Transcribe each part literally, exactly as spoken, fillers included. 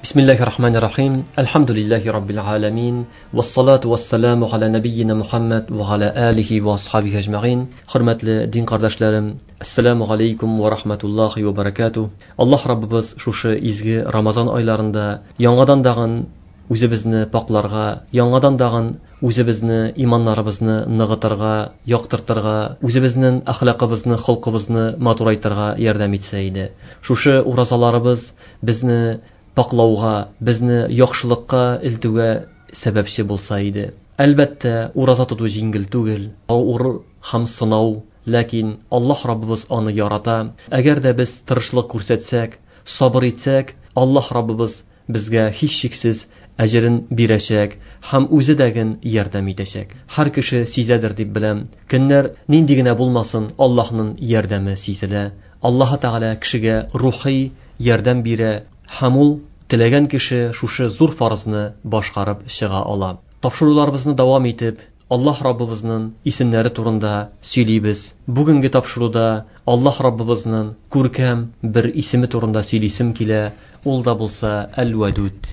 Бисмиллахир-рахманир-рахим. Әлхәмдүлилләһи раббил аламин. Вассалату вассаламу аля набийина Мухаммад ва аля алихи ва асхабихи әҗмәгыйн. Хөрмәтле дин кардәшләрем, ассаламу алейкум ва рахматуллахи ва баракатуh. Аллаһ Раббыбыз шушы изге Рамазан айларында яңадан дагын үзебезне пакларга, яңадан дагын үзебезне, иманнарыбызны ныгытырга, яктыртырга, үзебезнең әхлакыбызны, холкыбызны матурайтырга ярдәм итсә иде. Шушы уразаларыбыз безне паклауга, безне яхшылыкка илтүгә сәбәпче булса иде. Әлбәттә, ураза тоту җиңел түгел, авыр һәм сынау, ләкин Аллаһ Раббыбыз аны ярата. Әгәр дә без тырышлык күрсәтсәк, сабыр итсәк, Аллаһ Раббыбыз безгә һичшиксез әҗерен бирәчәк һәм үзе дәген ярдәм итәчәк. Һәр кеше сизәдер дип беләм. Көннәр нинди генә булмасын, Аллаһның ярдәме сизелә. Аллаһ Тәгалә кешегә рухи ярдәм бирә һәм ул теләгән кеше шушы зур фарызны башкарып чыга ала. Тапшыруларыбызны дәвам итеп, Аллаһ Раббыбызның исемнәре турында сөйлибез. Бүгенге тапшыруда Аллаһ Раббыбызның күркәм бер исеме турында сөйлисем килә. Ул да булса Әл-Вәдүд.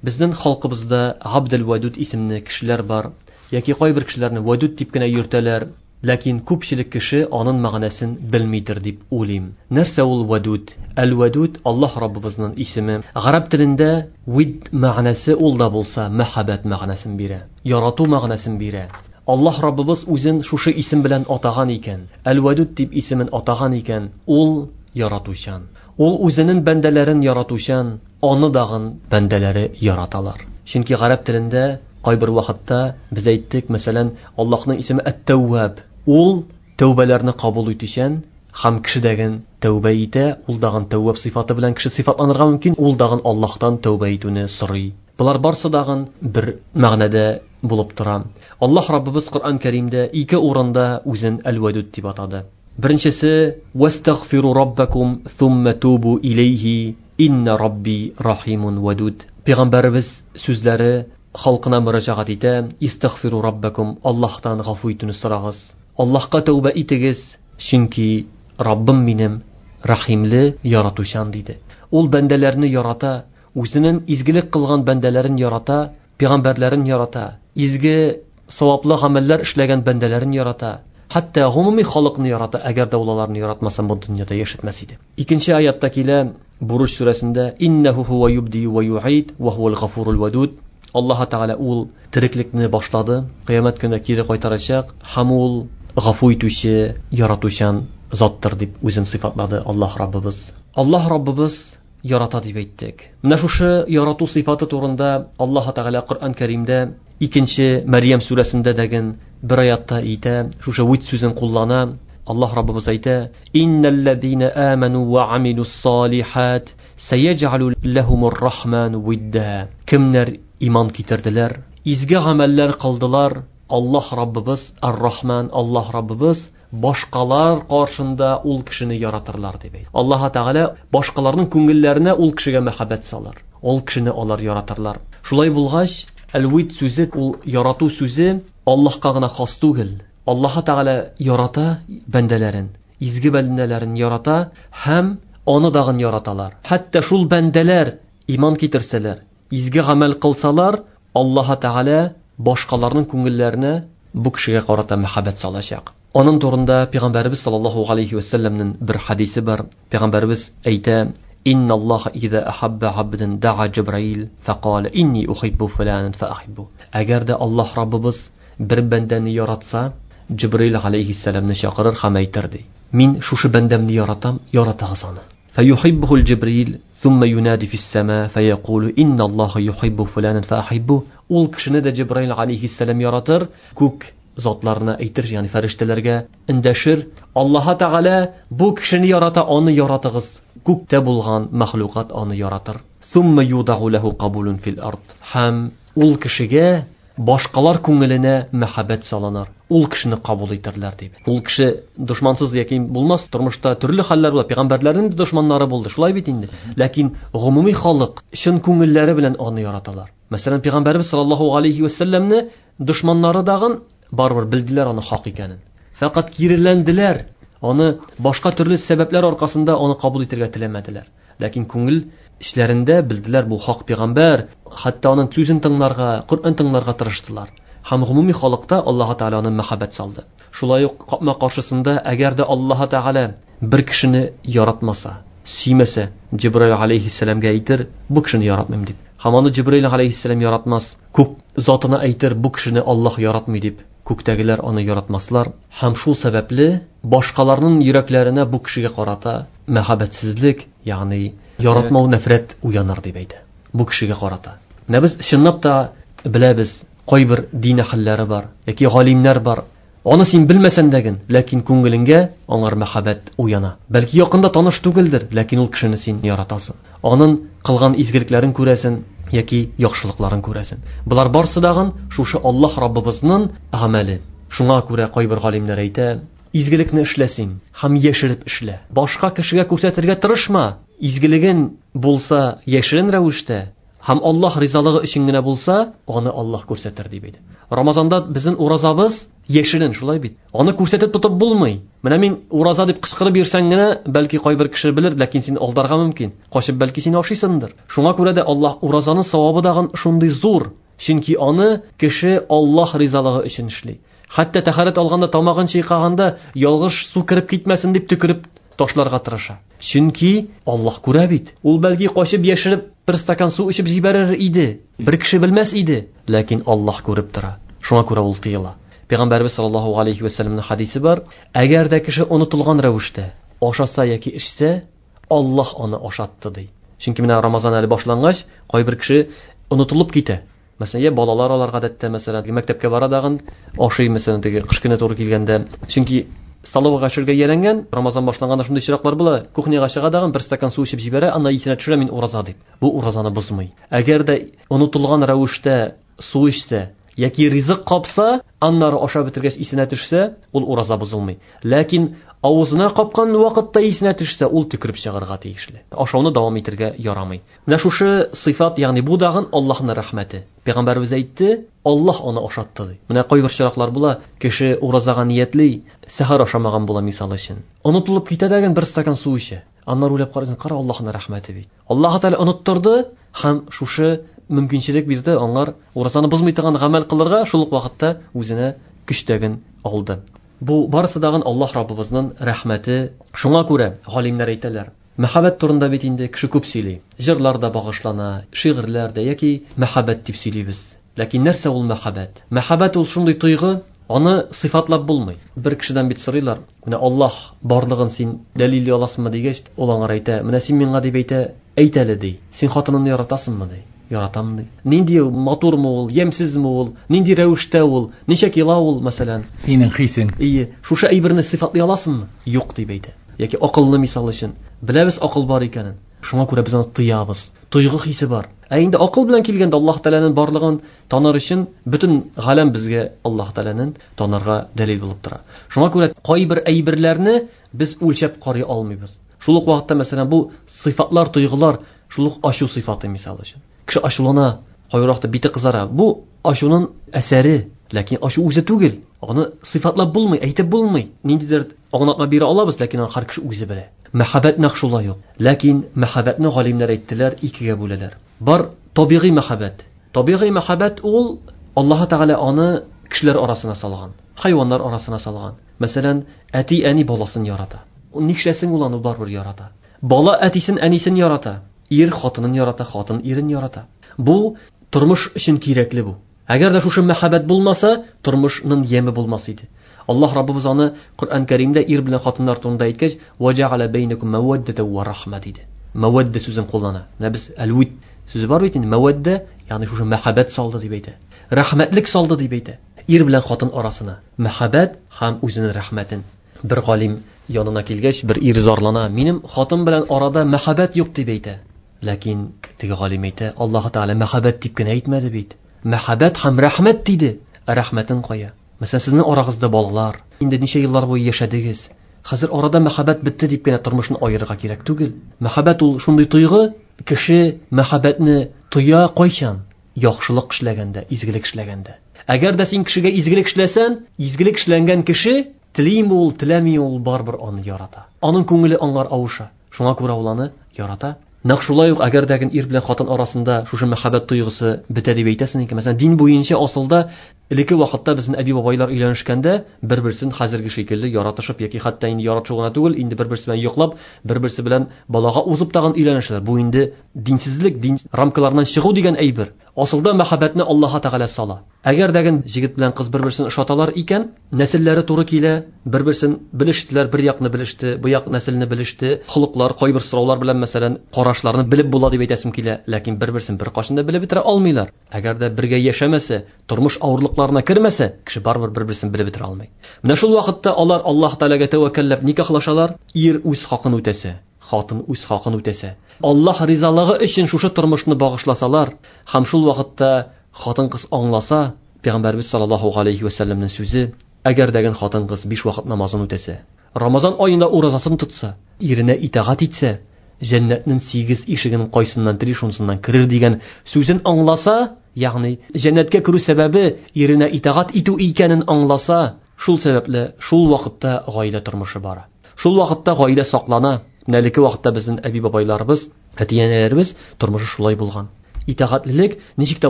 Безнең халкыбызда Абдел-Вәдүд исемле кешеләр бар, яки кайбер кешеләрне Вәдүд дип кенә йөртәләр, ләкин күпчелек кеше аның мәгънәсен белмидер дип уйлыйм. Нәрсә ул Вәдүд? Әл-Вәдүд Аллаһ Раббыбызның исеме. Гарәп телендә вид мәгънәсе ул да булса мәхәббәт мәгънәсен бирә, ярату мәгънәсен бирә. Аллаһ Раббыбыз үзен шушы исем белән атаган икән, Әл-Вәдүд дип исемен атаган икән, ул яратучан. Ул үзенең бәндәләрен яратучан, аны дагын бәндәләре яраталар. Чөнки гарәп телендә кайбер вакытта без әйттек, мәсәлән, Аллаһның исеме Әт-Тәүваб. Ул тәүбәләрне кабул итүчән һәм кешедәген тәүбә итә, ул дагын тәүваб сыйфаты белән кеше сыйфатланырга мөмкин, ул дагын Аллаһтан тәүбә итүне сорый. Булар барсы дагын бер мәгънәдә булып тора. Аллаһ Раббыбыз Коръән Кәримдә ике урында үзен Әл-Вәдүд дип атады. Беренчесе вастагфиру раббакум thumma тубу илейхи инна рабби рахимун вадуд. Пәйгамбәребез сүзләре халкына мөрәҗәгать итә: истагфиру раббакум, Аллаһтан гафу итүне сорагыз. Аллаһка тәүбә итегез, чөнки Раббым минем рәхимле, яратучан диде. Ул бәндәләрне ярата, үзенең изгелек кылган бәндәләрен ярата, пәйгамбәрләрен ярата, изге саваплы гамәлләр эшләгән бәндәләрен ярата. Хәтта гомуми халыкны ярата, әгәр дә ул аларны яратмаса, бу дөньяда яшәтмәс иде. Икенче аятта килә, Буруҗ сүрәсендә: иннәһу хуа юбди ва юид ва хуал гафурул вадуд. Аллаһ Тәгалә ул тереклекне башлады, кыямәт көнендә кире кайтарачак һәм ул гафу итүче, яратучан заттыр дип үзен сыйфатлады Аллаһ Раббыбыз. Аллаһ Раббыбыз ярата дип әйттек. Менә шушы ярату сыйфаты турында Аллаһ Тәгалә Коръән Кәримдә икенче Мәрьям сүрәсендә дәген бер аятта әйтә, шушы вид сүзен куллана. Аллаһ Раббыбыз әйтә: иннәлләзина аману ва амилус салихат сәяҗалу лахумур рахману видда. Кемнәр иман китерделәр, изге гамәлләр кылдылар, Аллаһ Раббыбыз Ар-Рахман, Аллаһ Раббыбыз башкалар каршында ул кешене яратырлар дип әйтә. Аллаһ Тәгалә башкаларның күңелләренә ул кешегә мәхәббәт салыр. Ул кешене алар яратырлар. Шулай булгач, Әл-Вид сүзе, ул ярату сүзе Аллаһка гына хас түгел. Аллаһ Тәгалә ярата бәндәләрен, изге бәндәләрен ярата һәм аны дагын яраталар. Хәтта шул бәндәләр иман китерсәләр, изге гамәл кылсалар, Аллаһ Тәгалә башкаларның күңелләренә бу кешегә карата мәхәббәт салачак. Аның турында Пәйгамбәребез саллаллаһу алейхи ва сәлләмнең бер хадисе бар. Пәйгамбәребез әйтә: инна Аллаһ иза ахабба абдан да'a Җибраил фақала инни ухиббу фуланан фаахиббу. Әгәр дә Аллаһ Раббыбыз бер бәндәне яратса, Җибраил алейхиссәламны чакырыр һәм әйтер ди: мин шушы бәндәмне яратам, яратыгыз аны. فيحبه الجبريل ثم ينادي في السماء فيقول إن الله يحب فلانا فأحبه. Ул кешене дә Җибраил алейхиссәлам яратыр, күк затларына әйтер, ягъни фәрештәләргә эндәшер: Аллаһ Тәгалә бу кешене ярата, аны яратыгыз. Күктә булган мәхлукат аны яратыр. Thumma yudau lahu qabulun fil ard. Һәм ул кешегә башкалар күңеленә мәхәббәт салыныр. Ул кешене кабул итерләр дип. Ул кеше дошмансыз яки булмас, тормышта төрле хәлләр була. Пәйгамбәрләрнең дә дошманнары булды, шулай бит инде. Ләкин гомуми халык чын күңелләре белән аны яраталар. Мәсәлән, Пәйгамбәрбез саллаллаһу алейхи ва сәлләмне дошманнары дагын барыбер белделәр аны хак икәнен. Фақат киреләнделәр, аны башка төрле сәбәпләр аркасында аны кабул итәргә теләмәделәр. Ләкин күңел Эчләрендә белделәр бу хак пәйгамбәр, хәтта аның сүзен тыңларга, Коръән тыңларга тырыштылар. Һәм гомуми халыкта Аллаһ Тәгалә аны мәхәббәт салды. Шулай ук капма каршысында әгәр дә Аллаһ Тәгалә бер кешене яратмаса, сөймәсә, Җибраил алейһиссәламгә әйтер, бу кешене яратмыйм дип. Һәм аны Җибраил алейһиссәлам яратмас, күк затына әйтер, бу кешене Аллаһ яратмый дип. Күктәгеләр аны яратмаслар. Һәм шул сәбәпле башкаларның йөрәкләренә бу кешегә карата мәхәббәтсезлек, ягъни яратмау, нәфрәт уяныр дип әйтә. Бу кешегә карата. Менә без чынлап та беләбез, кайбер дин әһелләре бар, яки галимнәр бар. Аны син белмәсәң дә ген, ләкин күңелеңгә аңар мәхәббәт уяна. Бәлки якында таныш түгелдер, ләкин ул кешене син яратасың. Аның кылган изгелекләрен күрәсең яки яхшылыкларын күрәсең. Болар барсы дагын шушы Аллаһ Раббыбызның гамәле. Шуңа күрә кайбер галимнәр әйтә, изгелекне эшлә син һәм яшереп эшлә. Башка кешегә күрсәтергә тырышма. Изгелеген булса яшерен рәвештә һәм Аллаһ ризалыгы өчен генә булса, аны Аллаһ күрсәтер дип әйтә. Рамазанда безнең уразабыз яшерен, шулай бит. Аны күрсәтеп тотып булмый. Менә мин ураза дип кычкырып йөрсәң генә, бәлки кайбер кеше белер, ләкин син алдарга мөмкин. Качып бәлки син ашыйсыңдыр. Шуңа күрә дә Аллаһ уразаның савабы дагын шундый зур. Чөнки аны кеше Аллаһ ризалыгы өчен эшли. Хәтта тәһарәт алганда, тамагын чайкаганда, ялгыш су кереп китмәсен дип төкереп ташларга тырыша. Чөнки Аллаһ күрә бит. Ул бәлки качып яшереп бер стакан су эчеп җибәрер иде. Бер кеше белмәс иде, ләкин Аллаһ күреп тора. Шуңа күрә ул тыела. Пәйгамбәрбез саллаллаһу алейхи ва сәлләмнең хадисе бар. Әгәр дә кеше онытылган рәвештә ашаса яки эчсә, Аллаһ аны ашатты ди. Чөнки менә Рамазан әле башлангач, кайбер кеше онытылып китә. Мәсәлән, я балалар алар гадәттә, мәсәлән, мәктәпкә бара дагын ашый, мәсәлән, теге кыш көне туры килгәндә. Чөнки столовыйга төшергә ияләнгән, Рамазан башланганда шундый чираклар була, кухняга чыга дагын бер стакан су эчеп җибәрә, анда исенә төшерә, мин ураза дип. Бу уразаны бозмый. Әгәр дә онытылган рәвештә су эчсә яки ризык капса, аннары ашап бетергәч исенә төшсә, ул ураза бозылмый. Ләкин авызына капкан вакытта исенә төшсә, ул төкереп чыгарга тиешле. Ашауны дәвам итәргә ярамый. Менә шушы сыйфат, ягъни бу дагын Аллаһның рәхмәте. Пәйгамбәребез әйтте, Аллаһ аны ашатты ди. Менә кайбер чираклар була, кеше уразага ниятли, сәхәр ашамаган була мисал өчен. Онытылып китә дәген бер стакан су эчә. Аннары уйлап карыйсың, кара Аллаһның рәхмәте бит. Аллаһ Тәгалә оныттырды һәм шушы мөмкинчелек бирде аңар уразаны бозмый торган гамәл кылырга, шул ук вакытта үзенә көч тәген алды. Бу барысы дагын Аллаһ Раббыбызның рәхмәте. Шуңа күрә галимнәр әйтәләр, мәхәббәт турында бит инде кеше күп сөйли. Җырлар да багышлана, шигырьләр дә яки мәхәббәт дип сөйлибез. Ләкин нәрсә ул мәхәббәт? Мәхәббәт ул шундый тойгы, аны сыйфатлап булмый. Бер кешедән бит сорыйлар, менә Аллаһ барлыгын син дәлилли аласыңмы дигәч, ул аңар әйтә, менә син миңа дип әйтә, әйт әле ди. Син хатыныңны яратасыңмы ди? Яратам ди. Нинди матурмы ул, ямьсезме ул, нинди рәвештә ул, ничә кило ул, мәсәлән? Синең хисең. Ие, шушы әйберне сыйфатлый аласыңмы? Юк дип әйтә. Яки акыллы мисал өчен. Беләбез акыл бар икәнен. Шуңа күрә без аны тоябыз. Тойгы хисе бар. Ә инде акыл белән килгәндә Аллаһ Тәгаләнең барлыгын таныр өчен бөтен галәм безгә Аллаһ Тәгаләнең танырга дәлил булып тора. Шуңа күрә кайбер әйберләрне без үлчәп карый алмыйбыз. Шул ук вакытта, мәсәлән, бу сыйфатлар, тойгылар, шул ук ачу сыйфаты мисал өчен. Кеше ачулана, кайбер вакытта бите кызара. Бу ачуның әсәре, ләкин ачу үзе түгел. Аны сыйфатлап булмый, әйтеп булмый. Ниндидер аңлатма бирә алабыз, ләкин аны һәр кеше үзе белә. Мәхәббәт нәкъ шулай ук. Ләкин мәхәббәтне галимнәр әйттеләр, икегә бүләләр. Бар табигый мәхәббәт. Табигый мәхәббәт ул Аллаһ Тәгалә аны кешеләр арасына салган, хайваннар арасына салган. Мәсәлән, әти-әни баласын ярата. Нишләсен ул аны барыбер ярата. Бала әтисен, әнисен ярата. Ир хатынын ярата, хатын ирен ярата. Бу тормыш өчен кирәкле бу. Әгәр дә шушы мәхәббәт булмаса, тормышның яме булмас иде. Аллаһ Раббыбыз аны Коръән Кәримдә ир белән хатыннар турында әйткәч, "Ваҗа'аля бәйнәкум мәвәддәтә ва рахма" диде. Мәвәддә сүзен куллана. Менә без әл-вид сүзе бар бит инде, мәвәддә, ягъни шушы мәхәббәт салды дип әйтә. Рәхмәтлек салды дип әйтә. Ир белән хатын арасына мәхәббәт һәм үзенең рәхмәтен. Бер галим янына килгәч, бер ир зарлана, минем хатын белән арада мәхәббәт юк дип әйтә. Ләкин теге галим әйтә, Аллаһ Тәгалә мәхәббәт дип кенә әйтмәде бит. Мәхәббәт һәм рәхмәт диде. Ә рәхмәтен кая? Мәсәлән, сезнең арагызда балалар, инде ничә еллар буе яшәдегез. Хәзер арада мәхәббәт бетте дип кенә тормышны аерырга кирәк түгел. Мәхәббәт ул шундый тойгы, кеше мәхәббәтне тоя кайчан? Яхшылык эшләгәндә, изгелек эшләгәндә. Әгәр дә син кешегә изгелек эшләсәң, изгелек эшләнгән кеше телиме ул, теләми ул, барыбер аны ярата. Аның күңеле аңар авыша. Шуңа күрә ул аны ярата. Нәкъ шулай ук әгәр дә ир белән хатын арасында шушы мәхәббәт тойгысы бетә дип әйтәсең икән, мәсәлән, дин буенча асылда элекке вакытта безнең әби-бабайлар өйләнешкәндә бер-берсен хәзерге шикелле яратышып яки хәтта инде яратышу гына түгел, инде бер-берсе белән йоклап, бер-берсе белән балага узып тагын өйләнешәләр. Бу инде динсезлек, дин рамкаларыннан чыгу дигән әйбер. Асылда мәхәббәтне Аллаһ Тәгалә сала. Әгәр дә җегет белән кыз бер-берсен ошаталар икән, нәселләре туры килә, бер-берсен белештеләр, бер якны белеште, бу як нәселне белеште, холыклар, кайбер сораулар белән, мәсәлән, карашларны белеп була дип әйтәсем килә, ләкин бер-берсен бер кашында белеп бетерә алмыйлар. Әгәр дә бергә яшәмәсә, тормыш авырлыкларына кермәсә, кеше барыбер бер-берсен белеп бетерә алмый. Менә шул вакытта алар Аллаһ Тәгаләгә тәвәккәлләп никахлашалар, ир үз хакын үтәсә, хатын үз хакын үтәсә, Аллаһ ризалыгы өчен шушы тормышны багышласалар, һәм шул вакытта хатын-кыз аңласа, Пәйгамбәрбез саллаллаһу алейхи ва сәлләмнең сүзе, әгәр дә хатын-кыз биш вакыт намазын үтәсә, Рамазан аенда уразасын тотса, иренә итагать итсә, җәннәтнең сигез ишеген кайсыннан тели шунсыннан керер дигән сүзен аңласа, ягъни җәннәткә керү сәбәбе иренә итагать итү икәнен аңласа, шул сәбәпле шул вакытта гаилә тормышы бара. Шул вакытта гаилә саклана. Менә элекке вакытта безнең әби-бабайларыбыз, әти-әниләребез тормышы шулай булган. Итагатьлелек ничек тә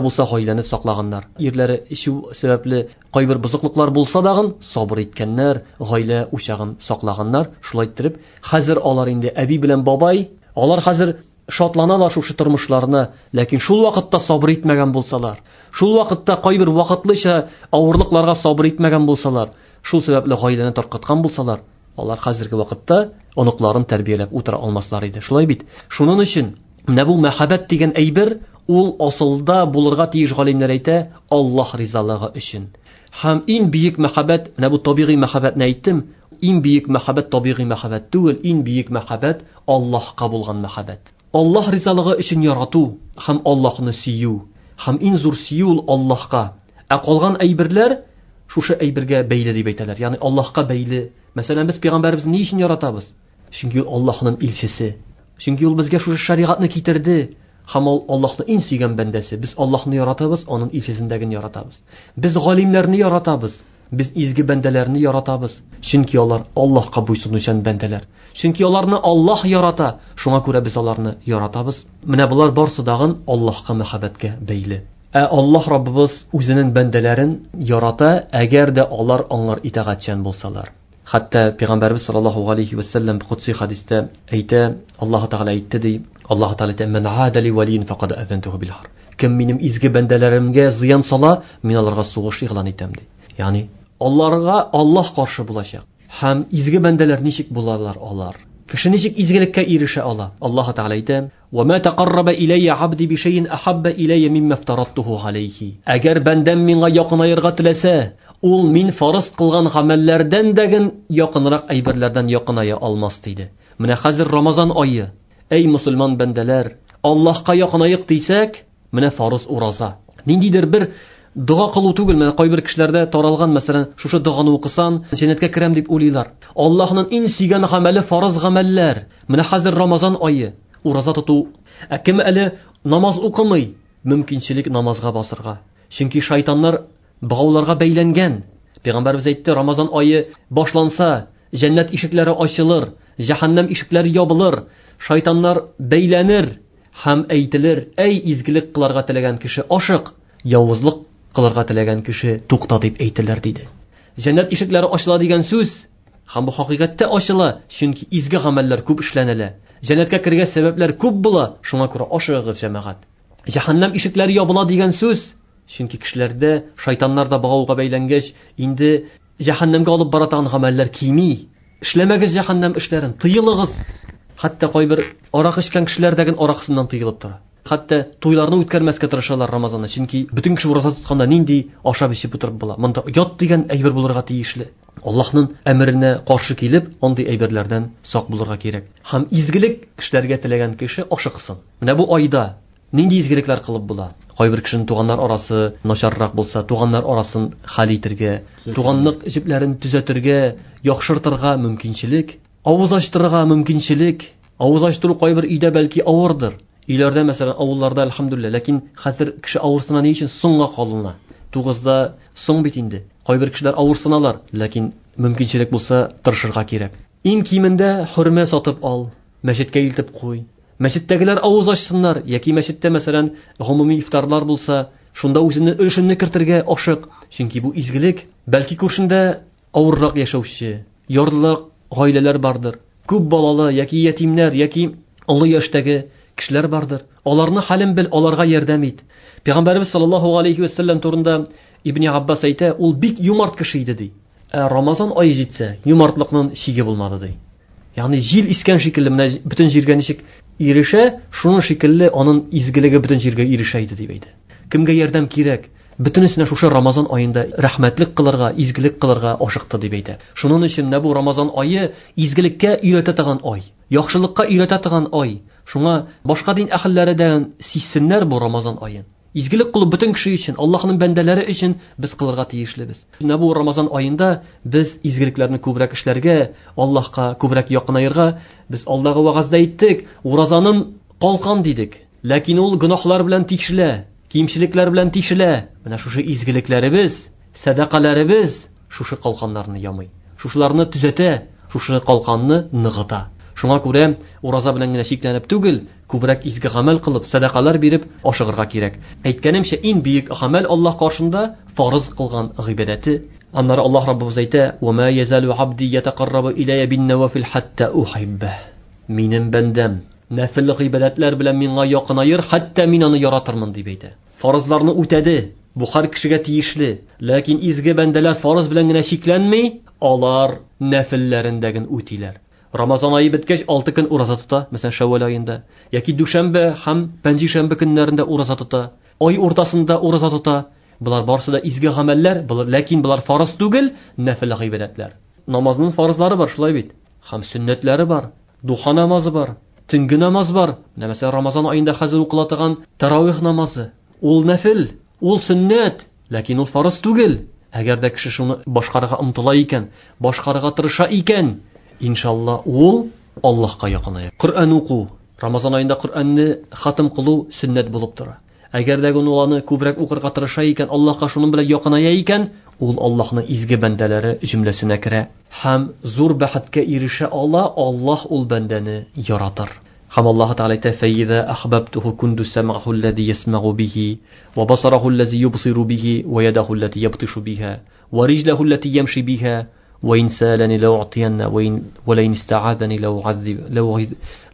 булса гаиләне саклаганнар. Ирләре эчү сәбәпле кайбер бозыклыклар булса дагын сабыр иткәннәр, гаилә учагын саклаганнар. Шулай иттереп, хәзер алар инде әби белән бабай, алар хәзер шатланалар шушы тормышларына, ләкин шул вакытта сабыр итмәгән булсалар, шул вакытта кайбер вакытлыча авырлыкларга сабыр итмәгән булсалар, шул сәбәпле гаиләне таркаткан булсалар, алар хәзерге вакытта оныкларын тәрбияләп утыра алмаслар иде. Шулай бит. Шуның өчен менә бу мәхәббәт дигән әйбер ул асылда булырга тиеш, галимнәр әйтә, Аллаһ ризалыгы өчен. Һәм иң бөек мәхәббәт, менә бу табигый мәхәббәтне әйттем, иң бөек мәхәббәт табигый мәхәббәт түгел, иң бөек мәхәббәт Аллаһка булган мәхәббәт. Аллаһ ризалыгы өчен ярату һәм Аллаһны сөю. Һәм иң зур сөю ул Аллаһка. Ә калган әйберләр шушы әйбергә бәйле дип әйтәләр. Ягъни Аллаһка бәйле. Мәсәлән, без пәйгамбәребезне ни өчен яратабыз? Чөнки ул Аллаһның илчесе. Чөнки ул безгә шушы шәригатьне китерде. Һәм ул Аллаһны иң сөйгән бәндәсе. Без Аллаһны яратабыз, аның илчесендәген яратабыз. Без галимнәрне яратабыз, без изге бәндәләрне яратабыз. Чөнки алар Аллаһка буйсынучан бәндәләр. Чөнки аларны Аллаһ ярата, шуңа күрә без аларны яратабыз. Менә болар барсы дагын Аллаһка мәхәббәткә бәйле. Ә Аллаһ Раббыбыз үзенең бәндәләрен ярата, әгәр дә алар аңар итагатьчән булсалар. Хәтта Пәйгамбәрбез саллаллаһу алейхи ва сәлләм кудси хадистә әйтә, Аллаһ Тәгалә әйтте ди, Аллаһ Тәгалә әйтә: "Ман ада ли валиин фақад азантуху бил харб." Кем минем изге бәндәләремгә зыян сала, мин аларга сугыш игълан итәм ди. Ягъни аларга Аллаһ каршы булачак. Һәм изге бәндәләр ничек булалар алар? Кеше ничек изгелеккә ирешә ала? Аллаһ Тәгалә әйтә: "Ва ма тақарраба илайя абди би шайин ахабба илайя мимма афтараттуху алейхи." Әгәр бәндәм миңа якынаерга теләсә, ул мин фарыз кылган гамәлләрдән дәген якынрак әйберләрдән якыная алмас диде. Менә хәзер Рамазан ае. Әй мусульман бәндәләр, Аллаһка якынаек дисәк, менә фарыз ураза. Ниндидер бер дога кылу түгел, менә кайбер кешеләрдә таралган, мәсәлән, шушы доганы укысан, җәннәткә керәм дип уйлыйлар. Аллаһның иң сөйгән гамәле фарыз гамәлләр. Менә хәзер Рамазан ае, ураза тоту. Ә кем әле намаз укымый, мөмкинчелек намазга басырга. Чөнки шайтаннар богауларга бәйләнгән. Пәйгамбәрбез әйтте, Рамазан ае башланса, җәннәт ишекләре ачылыр, җәһәннәм ишекләре ябылыр, шайтаннар бәйләнер һәм әйтелер: "Әй изгелек кылырга теләгән кеше, ашык, явызлык кылырга теләгән кеше, тукта" дип әйтелер диде. Җәннәт ишекләре ачыла дигән сүз, һәм бу хакыйкатьтә ачыла, чөнки изге гамәлләр күп эшләнелә. Җәннәткә керергә сәбәпләр күп була, шуңа күрә ашыгыгыз, җәмәгать. Җәһәннәм ишекләре ябыла дигән сүз, чөнки кешеләрдә шайтаннар да богауга бәйләнгәч, инде җәһәннәмгә алып бара торган гамәлләр кими. Эшләмәгез җәһәннәм эшләрен, тыелыгыз. Хәтта кайбер арак эчкән кешеләр дә араксыннан тыелып тора. Хәтта туйларны үткәрмәскә тырышалар Рамазанда, чөнки бөтен кеше ураза тотканда нинди ашап эчеп утырып була. Монда оят дигән әйбер булырга тиешле. Аллаһның әмеренә каршы килеп, андый әйберләрдән сак булырга кирәк. Һәм изгелек эшләргә теләгән кеше ашыксын. Менә бу айда нинди изгелекләр кылып була? Кайбер кешенең туганнар арасы начаррак булса, туганнар арасын хәл итәргә, туганлык җепләрен төзәтергә, яхшыртырга мөмкинчелек, авыз ачтырырга мөмкинчелек. Авыз ачтыру кайбер өйдә бәлки авырдыр. Өйләрдә, мәсәлән, авылларда әлхәмдүлилләһ, ләкин хәзер кеше авырсына ни өчен соңга калына? Тугызда соң бит инде. Кайбер кешеләр авырсыналар, ләкин мөмкинчелек булса тырышырга кирәк. Иң кимендә хөрмә сатып ал, мәчеткә илтеп куй. Мәчеттәгеләр авыз ачсыннар, яки мәчеттә, мәсәлән, гомуми ифтарлар булса, шунда үзеңне өлешеңне кертергә ашык. Чөнки бу изгелек. Бәлки күршендә авыррак яшәүче, ярлы гаиләләр бардыр, күп балалы яки ятимнәр, яки олы яшьтәге кешеләр бардыр. Аларны хәлен бел, аларга ярдәм ит. Пәйгамбәребез саллаллаһу алейхи ва саллям турында Ибн Аббас әйтә, ул бик юмарт кеше иде ди. Ә Рамазан ае җитсә, юмартлыкның чиге булмады ди. Ягъни җил искән шикелле менә бөтен җиргә ничек ирешә, шуның шикелле аның изгелеге бөтен җиргә ирешә иде дип әйтә. Кемгә ярдәм кирәк? Бөтенесенә шушы Рамазан аенда рәхмәтлек кылырга, изгелек кылырга ашыкты дип әйтә. Шуның өчен менә бу Рамазан ае изгелеккә өйрәтә торган ай, яхшылыкка өйрәтә торган ай. Шуңа башка дин әһелләре дә сизсеннәр бу Рамазан аен. Изгелек кылу бөтен кеше өчен, Аллаһның бәндәләре өчен без кылырга тиешлебез. Менә бу Рамазан аенда без изгелекләрне күбрәк эшләргә, Аллаһка күбрәк якынаерга, без алдагы вәгазьдә әйттек, уразаның калкан дидек. Ләкин ул гөнаһлар белән тишелә, кимчелекләр белән тишелә. Менә шушы изгелекләребез, сәдакаларыбыз шушы калканнарны ямый. Шушыларны төзәтә, шушы калканны ныгыта. Шуңа күрә ураза белән генә чикләнеп түгел, күбрәк изге гамәл кылып, сәдакалар биреп ашыгырга кирәк. Әйткәнемчә, иң бөек гамәл Аллаһ каршында фарыз кылган гыйбадәте. Аннары Аллаһ Раббыбыз әйтә: "Ва ма язалу абди ятақаррабу илайя бин-навафил хатта ухиббah." Минем бәндәм нәфил гыйбадәтләр белән миңа якынаер, хәтта мин аны яратырмын дип әйтә. Фарызларны үтәде, бу һәр кешегә тиешле. Ләкин изге бәндәләр фарыз белән генә чикләнми, алар нәфилләрендәген үтиләр. Рамазан ае беткәч алты көн ураза тота, мәсәлән, Шәүвәл аенда, яки дүшәмбе һәм пәнҗешәмбе көннәрендә ураза тота, ай уртасында ураза тота. Болар барысы да изге гамәлләр, ләкин болар фарыз түгел, нәфил гыйбадәтләр. Намазның фарызлары бар, шулай бит. Һәм сөннәтләре бар, духа намазы бар, төнге намаз бар. Менә мәсәлән, Рамазан аенда хәзер укыла торган таравих намазы. Ул нәфил, ул сөннәт, ләкин ул фарыз түгел. Әгәр дә кеше шуны башкарырга омтыла икән, башкарырга тырыша икән, иншалла ул Аллаһка якыная. Коръән уку, Рамазан аенда Коръәнне хатым кылу сөннәт булып тора. Әгәр дә ул аны күбрәк укырга тырыша икән, Аллаһка шуның белән якыная икән, ул Аллаһның изге бәндәләре җөмләсенә керә һәм зур бәхеткә ирешә ала, Аллаһ ул бәндәне яратыр. Һәм Аллаһ Тәгалә әйтә: "Фәиза ахбабтуху кунту сам'аху аллази ясмa'у бихи, ва басараху аллази юбсиру бихи, ва ядаху аллати ябтишу биха, ва риҗлаху аллати ямши биха, وإن سألني لو أعطينه وإن ولئن استعاذني لو أعذب لو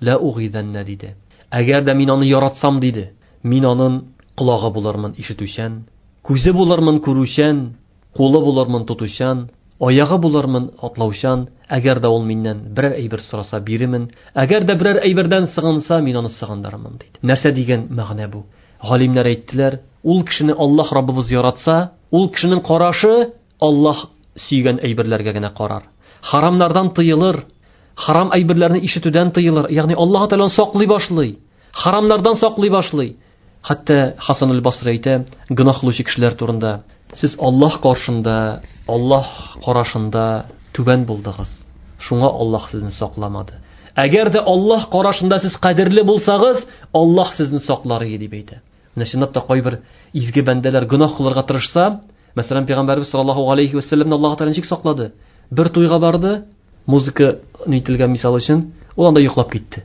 لا أغيذن диде. Әгәр дә мин аны яратсам диде, мин аның колагы булырмын ишетүчән, күзе булырмын күрүчән, кулы булырмын тотучан, аягы булырмын атлаучан. Әгәр дә ул миннән берәр әйбер сораса бирермен, әгәр дә берәр әйбердән сыгынса мин аны сыгындырырмын диде. Нәрсә дигән мәгънә бу? Галимнәр әйттеләр, ул кешене Аллаһ Раббыбыз яратса, ул кешенең карашы Аллаһ сөйгән әйберләргә генә карар. Харамнардан тыелыр, харам әйберләрне ишетүдән тыелыр. Ягъни Аллаһ Тәгалә саклый башлый, харамнардан саклый башлый. Хәтта Хасан аль-Басри әйтә, гөнаһ кылучы кешеләр турында: "Сез Аллаһ каршында, Аллаһ карашында түбән булдыгыз. Шуңа Аллаһ сезне сакламады. Әгәр дә Аллаһ карашында сез кадерле булсагыз, Аллаһ сезне саклар иде" дип әйтә. Менә чынлап та кайбер изге бәндәләр гөнаһ кылырга тырышса, мәсәлән, Пәйгамбәрбез саллаллаһу алейхи ва сәлләмне Аллаһ Тәгалә ничек саклады? Бер туйга барды, музыка нителгән мисал өчен, ул анда йоклап китте.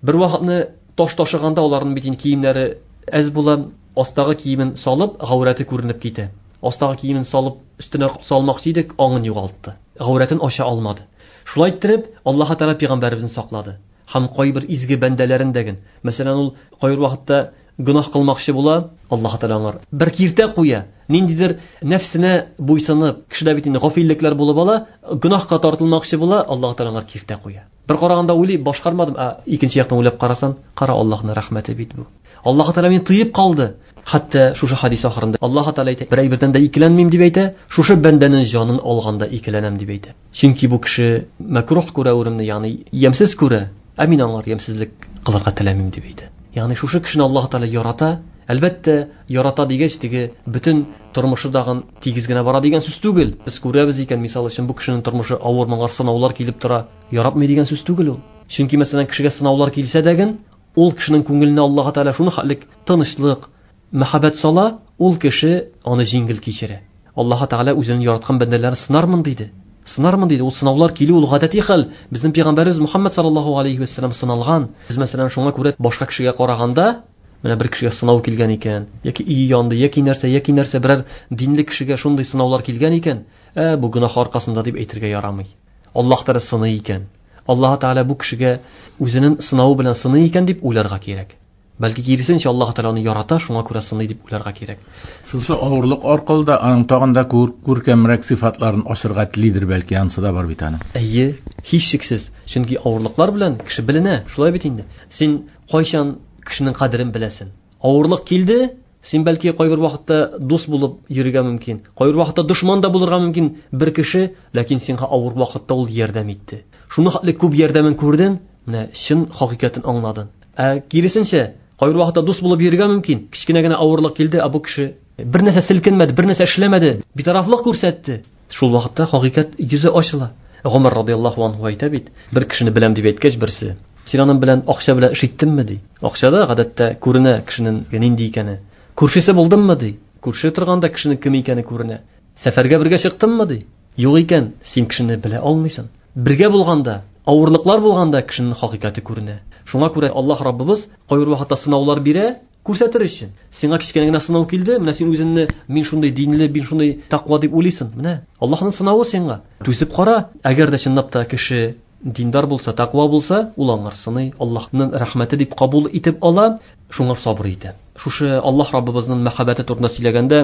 Бер вакытны таш ташыганда аларның бит инде киемнәре әз була, астагы киемен салып, гаурәте күренеп китә. Астагы киемен салып, өстенә салмакчы идек, аңын югалтты. Гаурәтен ача алмады. Шулай иттереп, Аллаһ Тәгалә Пәйгамбәребезне саклады. Һәм кайбер изге бәндәләрен дәген. Мәсәлән, ул кайбер вакытта гөнаһ кылмакчы була, Аллаһ Тәгалә аңар бер киртә куя. Ниндидер нәфсенә буйсынып, кешедә бит инде гафиллекләр булып ала, гөнаһка тартылмакчы була, Аллаһ Тәгалә аңар киртә куя. Бер караганда уйлый, башкармадым, ә икенче яктан уйлап карасан, кара Аллаһның рәхмәте бит бу. Аллаһ Тәгалә мине тыеп калды. Хәтта шушы хадис ахырында Аллаһ Тәгалә әйтә, бер әйбердән дә икеләнмим дип әйтә, шушы бәндәнең җанын алганда икеләнәм дип әйтә. Чөнки бу кеше мәкрух күрә үремне, ягъни ямьсез күрә, ә мин аңар ямьсезлек кылырга теләмим дип әйтә. Ягъни шушы кешене Аллаһ Тәгалә ярата. Әлбәттә, ярата дигәч, теге бөтен тормышы дагын тигез генә бара дигән сүз түгел. Без күрәбез икән, мисал өчен, бу кешенең тормышы авыр, моңа сынаулар килеп тора. Яратмый дигән сүз түгел ул. Чөнки мәсәлән, кешегә сынаулар килсә дәген, ул кешенең күңеленә Аллаһ Тәгалә шуны хәллек, тынычлык, мәхәббәт сала, ул кеше аны җиңел кичерә. Аллаһ Тәгалә үзенең яраткан бәндәләрен сынармын диде. Сынармын диде. Ул сынаулар килү ул гадәти хәл. Безнең пәйгамбәребез Мухаммад саллаллаһу алейхи вәссәлам сыналган. Без мәсәлән шуңа күрә башка кешегә караганда, менә бер кешегә сынау килгән икән, яки өе янды, яки нәрсә, яки нәрсә, берәр динле кешегә шундый сынаулар килгән икән, ә бу гөнаһ аркасында дип әйтергә ярамый. Аллаһ Тәгалә сыный икән. Аллаһ Тәгалә бу кешегә үзенең сынавы белән сыный икән дип уйларга кирәк. Бәлки киресенчә Аллаһ Тәгалә аны ярата, шуңа күрә сыный дип уйларга кирәк. Шушы авырлык аркылы да аның тагын да күркәмрәк сыйфатларын ачырга телидер, бәлки ансы да бар бит аның. Әйе, һичшиксез. Чөнки авырлыклар белән кеше беленә, шулай бит инде. Син кайчан кешенең кадерен беләсең? Авырлык килде, син бәлки кайбер вакытта дус булып йөрергә мөмкин, кайбер вакытта дошман да булырга мөмкин бер кеше, ләкин сиңа авыр вакытта ул ярдәм итте. Шуны хәтле күп ярдәмен күрдең, менә чын хакыйкатен аңладың. Ә киресенчә, кайбер вакытта дус булып йөрергә мөмкин, кечкенә генә авырлык килде, ә бу кеше бер нәрсә селкенмәде, бер нәрсә эшләмәде, битарафлык күрсәтте. Шул вакытта хакыйкать йөзе ачыла. Гомар радияллаһу анһу әйтә бит, бер кешене беләм дип әйткәч берсе, син аның белән акча белән эш иттеңме ди. Акчада гадәттә күренә кешенең нинди икәне. Күршесе булдыңмы ди. Күрше торганда кешенең кем икәне күренә. Сәфәргә бергә чыктыңмы ди. Юк икән, син кешене белә алмыйсың. Бергә булганда, авырлыклар булганда кешенең хакыйкате күренә. Шуңа күрә Аллаһ Раббыбыз кайбер вакытта сынаулар бирә, күрсәтер өчен. Сиңа кечкенә генә сынау килде, менә син үзеңне мин шундый динле, мин шундый тәкъва дип уйлыйсың. Менә Аллаһның сынавы сиңа. Түзеп кара, әгәр дә чынлап та кеше диндар булса, тәкъва булса, ул аңар сыный, Аллаһның рәхмәте дип кабул итеп ала, шуңа сабыр итә. Шушы Аллаһ Раббыбызның мәхәббәте турында сөйләгәндә,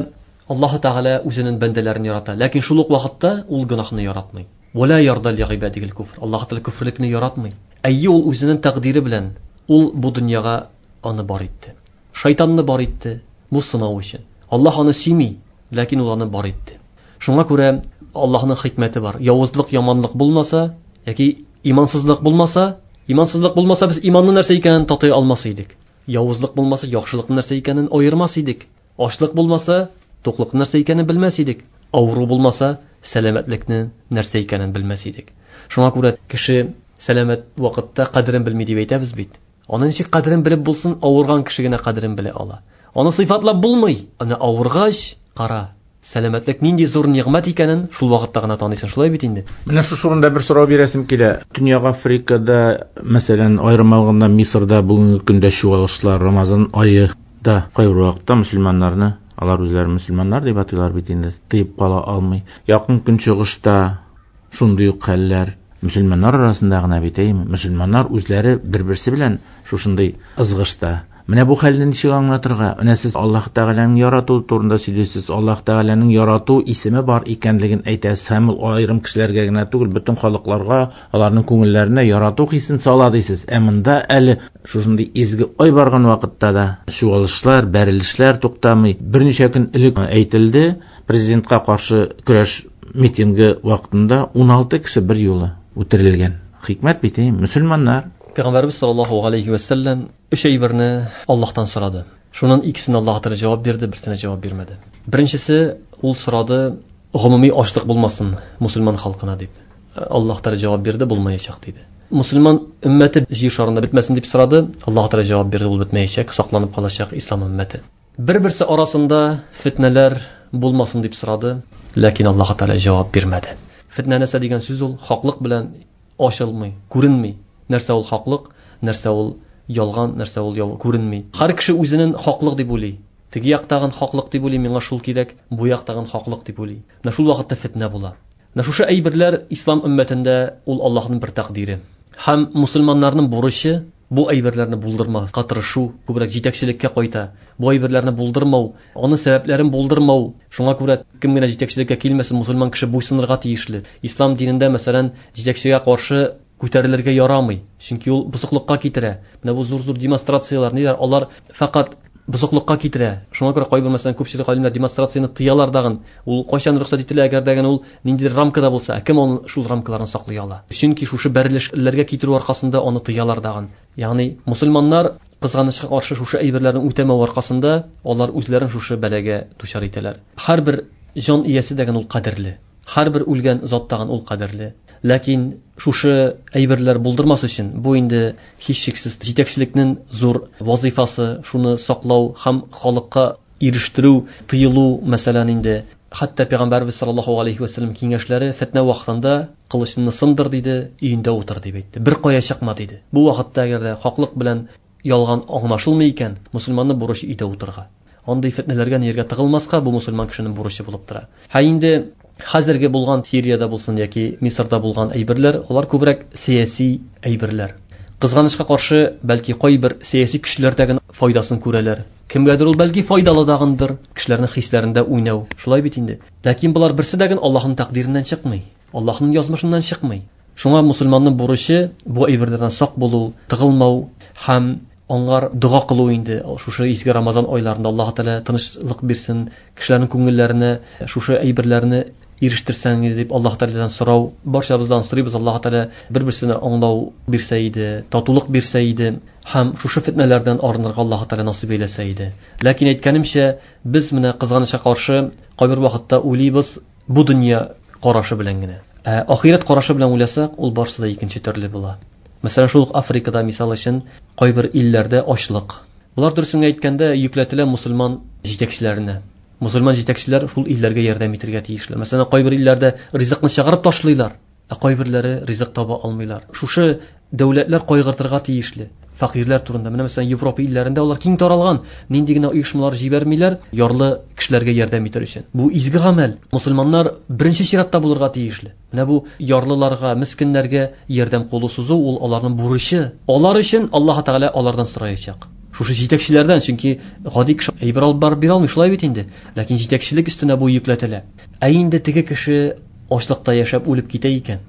Аллаһ Тәгалә үзенең бәндәләрен ярата, ләкин шул ук вакытта ул гөнаһны яратмый. Вала ярда лигыйбадигил куфр. Аллаһ Тәгалә күферлекне яратмый. Әйе, ул үзенең тәкъдире белән ул бу дөньяга аны бар итте. Шайтанны бар итте бу сынау өчен. Аллаһ аны сөйми, ләкин ул аны бар итте. Шуңа күрә Аллаһның хикмәте бар. Явызлык, яманлык булмаса, яки имансызлык булмаса, имансызлык булмаса без иманны нәрсә икәнен татый алмас идек. Явызлык булмаса, яхшылыкның нәрсә икәнен аермас идек. Ачлык булмаса, туклыкның нәрсә икәнен белмәс идек. Авыру булмаса, сәламәтлекнең нәрсә икәнен белмәс идек. Шуңа күрә кеше сәламәт вакытта кадерен белми дип әйтәбез бит. Аны ничек кадерен белеп булсын, авырган кеше генә кадерен белә ала. Аны сыйфатлап булмый. Аны авыргач, кара, сәламәтлек нинди зур нигъмәт икәнен шул вакытта гына таныйсың, шулай бит инде. Менә шушы урында бер сорау бирәсем килә. Төньяк Африкада, мәсәлән, аерым алганда Мисырда бүгенге көндә чуалышлар, Рамазан ае да кайбер вакытта мөселманнарны, алар үзләре мөселманнар дип атыйлар бит инде, тыеп кала алмый. Якын Көнчыгышта шундый ук хәлләр мөселманнар арасында гына бит, әйме? Мөселманнар үзләре бер-берсе белән шушындый ызгышта. Менә бу хәлне ничек аңлатырга? Менә сез Аллаһ Тәгаләнең ярату турында сөйлисез. Аллаһ Тәгаләнең ярату исеме бар икәнлеген әйтәсез. Һәм ул аерым кешеләргә генә түгел, бөтен халыкларга, аларның күңелләренә ярату хисен сала дисез. Ә монда әле шушындый изге ай барган вакытта да чуалышлар, бәрелешләр туктамый. Берничә көн элек әйтелде, президентка каршы көрәш митингы вакытында ун алты кеше бер юлы үтерелгән. Хикмәт бит, мөселманнар. Пәйгамбәрбез саллаллаһу алейхи ва саллям өч әйберне Аллаһтан сорады. Шуннан икесен Аллаһ Тәгалә җавап бирде, берсенә җавап бирмәде. Беренчесе, ул сорады, гомуми ачлык булмасын мусульман халкына дип. Аллаһ Тәгалә җавап бирде, булмаячак диде. Мусульман өммәте җир шарында бетмәсен дип сорады, Аллаһ Тәгалә җавап бирде, ул бетмәячәк, сакланып калачак ислам өммәте. Бер-берсе арасында фитнәләр булмасын дип сорады, ләкин Аллаһ Тәгалә җавап бирмәде. Фитнә нәрсә дигән сүз ул хаклык белән ачылмый, күренми. Нәрсә ул хаклык, нәрсә ул ялган, нәрсә ул яв күренми. Һәр кеше үзенең хаклык дип уйлый. Теге яктагын хаклык дип уйлый, миңа шул кирәк, бу яктагын хаклык дип уйлый. Менә шул вакытта фитнә була. Менә шушы әйберләр ислам өммәтендә ул Аллаһның бер тәкъдире. Һәм мусульманнарның бурычы бу әйберләрне булдырмаска тырышу, күбрәк җитәкчелеккә кайта. Бу әйберләрне булдырмау, аның сәбәпләрен булдырмау. Шуңа күрә кем генә җитәкчелеккә килмәсен, мусульман кеше буйсынырга тиешле. Ислам динендә, мәсәлән, җитәкчегә каршы күтәрелергә ярамый, чөнки ул бозыклыкка китерә. Менә бу зур-зур демонстрацияләр, ниләр, алар фақат бозыклыкка китерә. Шуңа күрә кайбер, мәсәлән, күпчелек галимнәр демонстрацияне тыялар дагын. Ул кайчан рөхсәт ителә, әгәр дәген ул ниндидер рамкада булса, ә кем аны шул рамкаларны саклый ала? Чөнки шушы бәрелешләргә китерү аркасында аны тыялар дагын. Ягъни мусульманнар кызганычка каршы шушы әйберләрне үтәмәү аркасында алар үзләрен шушы бәлагә дучар итәләр. Һәрбер җан иясе дәген ул кадерле. Һәрбер үлгән зат дагын ул кадерле. Ләкин шушы әйберләр булдырмас өчен бу инде һичшиксез җитәкчелекнең зур вазифасы, шуны саклау һәм халыкка ирештерү, тыелу, мәсәлән инде. Хәтта Пәйгамбәрбез саллаллаһу алейхи ва сәлләм киңәшләре фитнә вакытында кылычыңны сындыр диде, өендә утыр дип әйтте. Бер кая чыкма диде. Бу вакытта әгәр дә хаклык белән ялган аңлашылмый икән, мусульманның бурычы өйдә утырырга. Андый фитнәләргә нигә тыгылмаска, бу мусульман кешенең бурычы булып тора. Һә инде хәзерге булган Сириядә булсын яки Мисырда булган әйберләр, алар күбрәк сәяси әйберләр. Кызганычка каршы, бәлки кайбер сәяси көчләрдәге файдасын күрәләр. Кемгәдер ул бәлки файдалы дагындыр, кешеләрнең хисләрендә уйнау. Шулай бит инде. Ләкин болар берсе дә Аллаһның тәкъдиреннән чыкмый, Аллаһның язмышыннан чыкмый. Шуңа мусульманның бурычы бу әйберләрдән сак булу, тыгылмау һәм аңар дога кылу инде. Шушы изге Рамазан айларында Аллаһ Тәгалә тынычлык бирсен, кешеләрнең күңелләренә шушы әйберләрне ирештерсәң дип Аллаһ Тәгаләдән сорау, барчабыздан сорыйбыз, Аллаһ Тәгалә бер-берсенә аңлау бирсә иде, татулык бирсә иде һәм шушы фитнәләрдән арынырга Аллаһ Тәгалә насыйп әйләсә иде. Ләкин әйткәнемчә, без менә кызганычка каршы кайбер вакытта уйлыйбыз бу дөнья карашы белән генә. Ә ахирәт карашы белән уйласак, ул барсы да икенче төрле була. Мәсәлән, шул ук Африкада мисал өчен кайбер илләрдә ачлык. Булар дөресен әйткәндә йөкләтелә мусульман җитәкчеләренә. Мусульман җитәкчеләр шул илләргә ярдәм итәргә тиешләр. Мәсәлән, кайбер илләрдә ризыкны чыгарып ташлыйлар, ә кайберләре ризык таба алмыйлар. Шушы дәүләтләр кайгыртырга тиешле фәкыйрьләр турында. Менә мәсәлән, Европа илләрендә алар киң таралган, нинди генә оешмалар җибәрмиләр ярлы кешеләргә ярдәм итәр өчен. Бу изге гамәл. Мусульманнар беренче чиратта булырга тиешле. Менә бу ярлыларга, мискиннәргә ярдәм кулы сузу ул аларның бурычы. Алар өчен Аллаһ Тәгалә алардан сораячак. Шушы җитәкчеләрдән, чөнки гади кеше әйбер алып барып бирә алмый, шулай бит инде. Ләкин җитәкчелек өстенә бу йөкләтелә. Ә инде теге кеше ачлыкта яшәп үлеп китә икән,